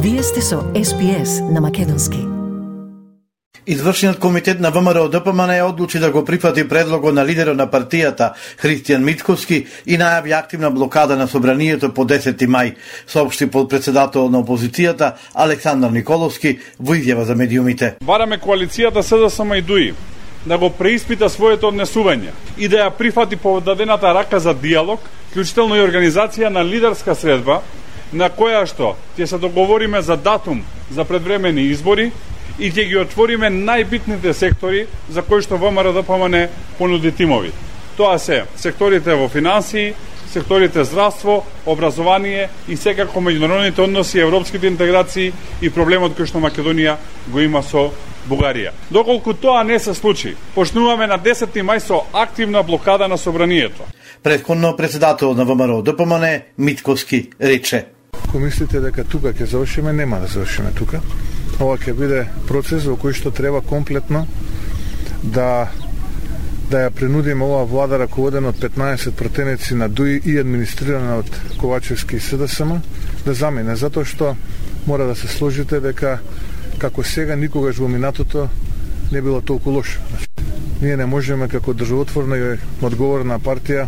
Вие сте со SPS на македонски. Извршниот комитет на ВМРО ДПМН одлучи да го прифати предлогот на лидерот на партијата Христијан Мицковски и најави активна блокада на собранието по 10 мај, соопшти подпредседател на опозицијата Александар Николовски во изјава за медиумите. Бараме коалицијата СДСМ и ДУИ да го преиспита своето однесување и да ја прифати подадената рака за диалог, вклучително и организација на лидерска средба на која што ќе се договориме за датум за предвремени избори и ќе ги отвориме најбитните сектори за кои што ВМРО ДПМН понуди тимови. Тоа се секторите во финансии, секторите здравство, образование и секако меѓународните односи, европските интеграции и проблемот кој што Македонија го има со Бугарија. Доколку тоа не се случи, почнуваме на 10 мај со активна блокада на собранието. Претходно председател на ВМРО ДПМН Мицковски рече: Ако мислите дека тука ќе завршиме, нема да завршиме тука. Ова ќе биде процес во кој што треба комплетно да ја принудиме оваа влада раководена од 15 пратеници на ДУИ и администрирана од Ковачевски и СДСМ да замине, затоа што мора да се сложите дека како сега никогаш во минатото не било толку лошо. Ние не можеме како државотворна и одговорна партија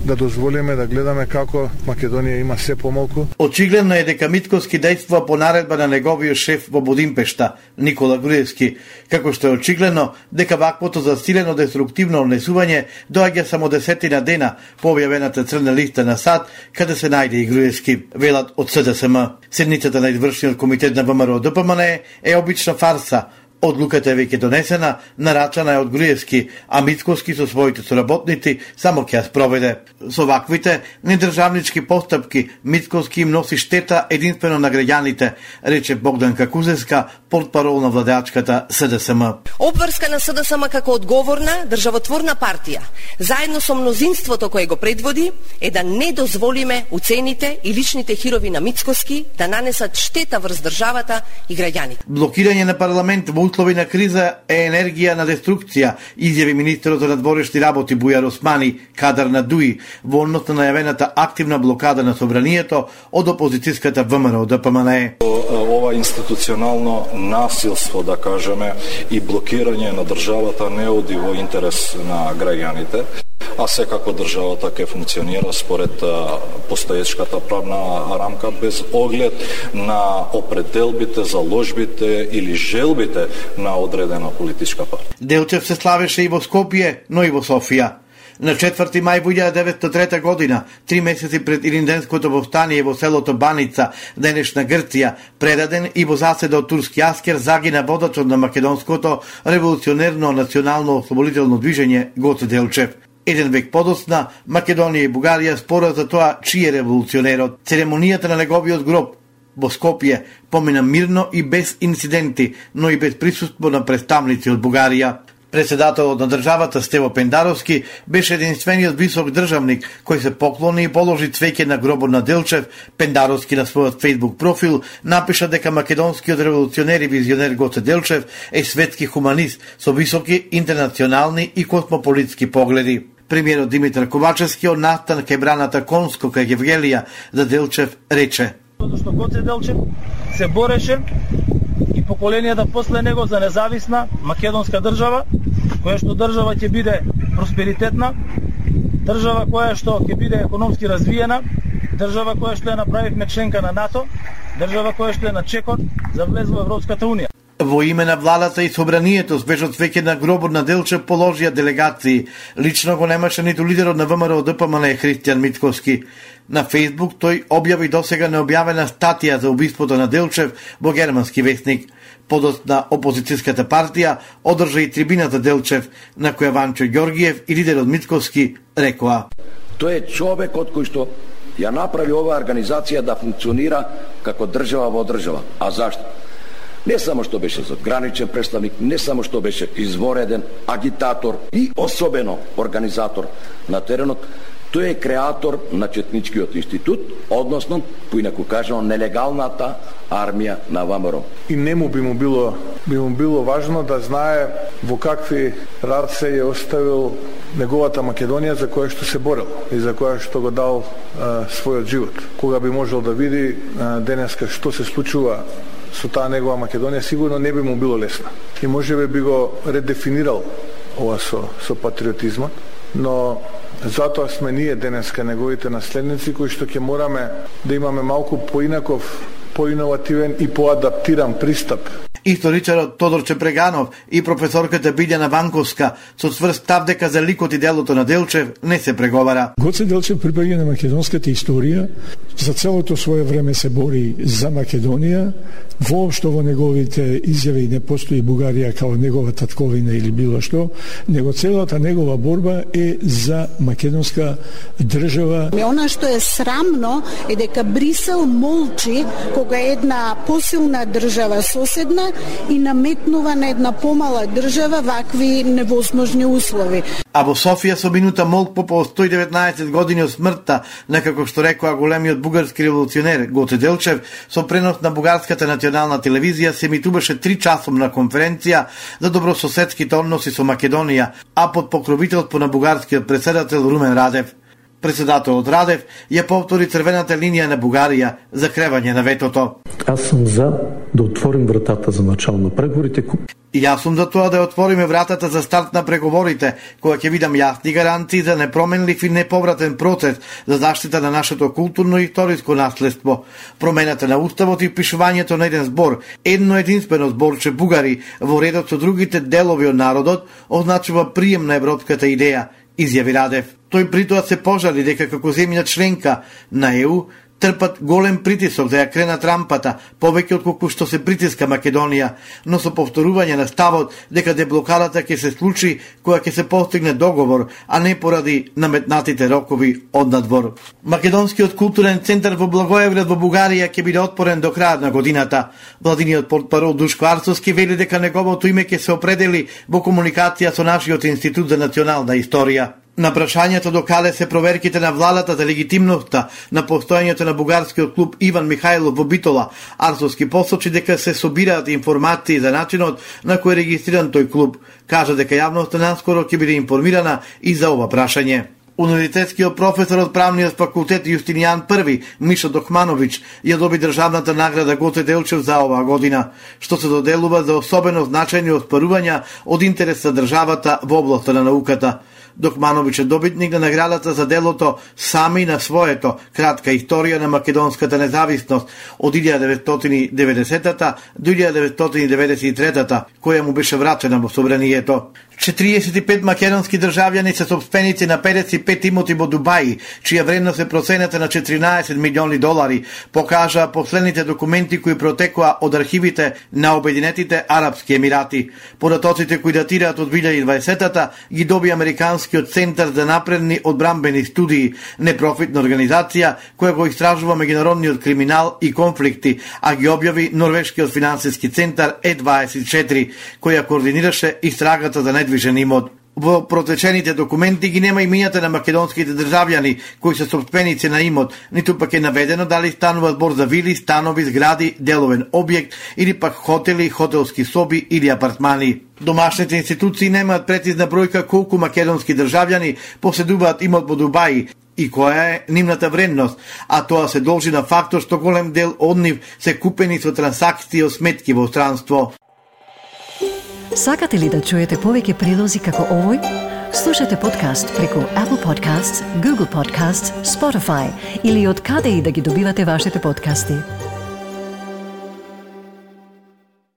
да дозволиме да гледаме како Македонија има се помалку. Очигледно е дека Мицковски действува по наредба на неговиот шеф во Будимпешта, Никола Груевски, како што е очигледно дека ваквото засилено деструктивно однесување доаѓа само 10 дена по објавената црна листа на САД, каде се најде и Груевски, велат од СДСМ. Седницата на извршниот комитет на ВМРО ДПМН е обична фарса. Одлуката е веќе донесена, нарачана е од Груевски, а Мицковски со своите соработници само ќе ја спроведе. Со ваквите недржавнички постапки Мицковски им носи штета единствено на граѓаните, рече Богданка Кузевска, портпарол на владеачката СДСМ. Обврска на СДСМ како одговорна државотворна партија, заедно со мнозинството кое го предводи, е да не дозволиме уцените и личните хирови на Мицковски да нанесат штета врз државата и граѓаните. Блокирање на парламент во услови на криза е енергија на деструкција, изјави министерот за надворешни работи Бујар Османи, кадар на ДУИ, во однос на најавената активна блокада на собранието од опозицијската ВМРО ДПМН. Ова институционално насилство, да кажеме, и блокирање на државата не оди во интерес на граѓаните, а секако државата ќе функционира според постоечката правна рамка без оглед на определбите, заложбите или желбите на одредена политичка партија. Делчев се славеше и во Скопје, но и во Софија. На 4 мај 1903 година, 3 месеци пред Илинденското повстание во селото Баница, денешна Грција, предаден и во заседа од турски аскер, загина водачот на македонското револуционерно национално ослободително движење Гоце Делчев. Еден век подоцна, Македонија и Бугарија спорат за тоа чиј е револуционерот. Церемонијата на неговиот гроб во Скопје помина мирно и без инциденти, но и без присуство на представници од Бугарија. Председателот на државата Стево Пендаровски беше единствениот висок државник кој се поклони и положи цвеќе на гробот на Делчев. Пендаровски на својот Facebook профил напиша дека македонскиот револуционер и визионер Гоце Делчев е светски хуманист со високи интернационални и космополитски погледи. Премиерот Димитар Ковачевски од настан кај браната Конско кај Евгелија за Делчев рече: Затоа што Гоце Делчев се бореше и поколенијата после него за независна македонска држава, која што држава ќе биде просперитетна, држава која што ќе биде економски развиена, држава која што ја направивме членка на НАТО, држава која што е на чекот за влез во Европската унија. Во име на владата и собранието свежот веќе на гробот на Делчев положија делегации. Лично го немаше ниту лидерот на ВМРО ДПМН Христијан Мицковски. На Фејсбук тој објави досега необјавена статија за убиството на Делчев во германски весник. Подоцна опозицијската партија одржа и трибина за Делчев, на која Ванчо Ѓоргиев и лидерот Мицковски рекоа: Тој е човекот кој што ја направи оваа организација да функционира како држава во држава. А зашто? Не само што беше задграничен представник, не само што беше извореден агитатор и особено организатор на теренот, тој е креатор на Четничкиот институт, односно, поинаку кажано, нелегалната армија на ВМРО. И нему би му било важно да знае во какви раце е оставил неговата Македонија за која што се борел и за која што го дал својот живот. Кога би можел да види денеска што се случува со таа негова Македонија, сигурно не би му било лесно. И можеби би го редефинирал ова со патриотизмот, но затоа сме ние денеска неговите наследници кои што ќе мораме да имаме малку поинаков, поиновативен и поадаптиран пристап. Историчарот Тодор Чепреганов и професорката Билјана Ванковска со цврст став дека за ликот и делото на Делчев не се преговара. Гоце Делчев припаѓа на македонската историја, за целото свое време се бори за Македонија, воопшто во неговите изјави не постои Бугарија као негова татковина или било што, него целата негова борба е за македонска држава. Она што е срамно е дека Брисел молчи кога една посилна држава соседна и наметнува на една помала држава вакви невозможни услови. А во Софија со минута молк по 119 години од смртта на, како што рекоа, големиот бугарски револуционер Гоце Делчев, со пренос на бугарската национална телевизија се емитуваше 3-часовна конференција за добрососедските односи со Македонија, а под покровителство на бугарскиот претседател Румен Радев. Председателот Радев ја повтори црвената линија на Бугарија за кревање на ветото. Аз сум за да отворим вратата за начало на преговорите. И јас сум за тоа да отвориме вратата за старт на преговорите, која ќе видам јасни гаранции за непроменлив и неповратен процес за заштита на нашето културно и историско наследство. Промената на уставот и впишувањето на еден збор, едно единствено зборче бугари во редот со другите делови од народот, означува прием на европската идеја, изјави Радев. Тој притоа се пожали дека како земја членка на ЕУ трпат голем притисок да ја кренат рампата, повеќе отколку што се притиска Македонија, но со повторување на ставот дека деблокадата ќе се случи кога ќе се постигне договор, а не поради наметнатите рокови од надвор. Македонскиот културен центар во Благоевград во Бугарија ќе биде отворен до крајот на годината. Владиниот портпарол Душко Арцовски вели дека неговото име ќе се определи во комуникација со нашиот Институт за национална историја. На прашањето докаде се проверките на владата за легитимноста на постојањето на бугарскиот клуб Иван Михајлов во Битола, Арцовски посочи дека се собираат информации за начинот на кој е регистриран тој клуб. Кажа дека јавноста наскоро ќе биде информирана и за ова прашање. Универзитетскиот професор од правниот факултет Јустинијан I, Мишо Дохмановиќ, ја доби државната награда Гоце Делчев за оваа година, што се доделува за особено значајни оспарувања од интерес за државата во областа на науката. Дохмановиќ е добитник на наградата за делото Сами на своето, кратка историја на македонската независност од 1990-та до 1993-та, која му беше врачена во собранието. 45 македонски државјани се собственици на 55 имоти во Дубај, чија вредност е проценета на $14 милиони, покажаа последните документи кои протекоа од архивите на Обединетите Арапски Емирати. Податоците кои датираат од 2020-та ги доби Американскиот центар за напредни одбрамбени студии, непрофитна организација која го истражува меѓународниот криминал и конфликти, а ги објави Норвешкиот финансиски центар E24, која координираше истрагата за недвижен имот. Во протечените документи ги нема имињата на македонските државјани кои се собственици на имот, ниту пак е наведено дали станува збор за вили, станови, згради, деловен објект или пак хотели, хотелски соби или апартмани. Домашните институции немаат прецизна бројка колку македонски државјани поседуваат имот во Дубај и која е нивната вредност, а тоа се должи на фактор што голем дел од нив се купени со трансакции од сметки во странство. Сакате ли да чуете повеќе прилози како овој? Слушате подкаст преку Apple Podcasts, Google Podcasts, Spotify или од каде и да ги добивате вашите подкасти.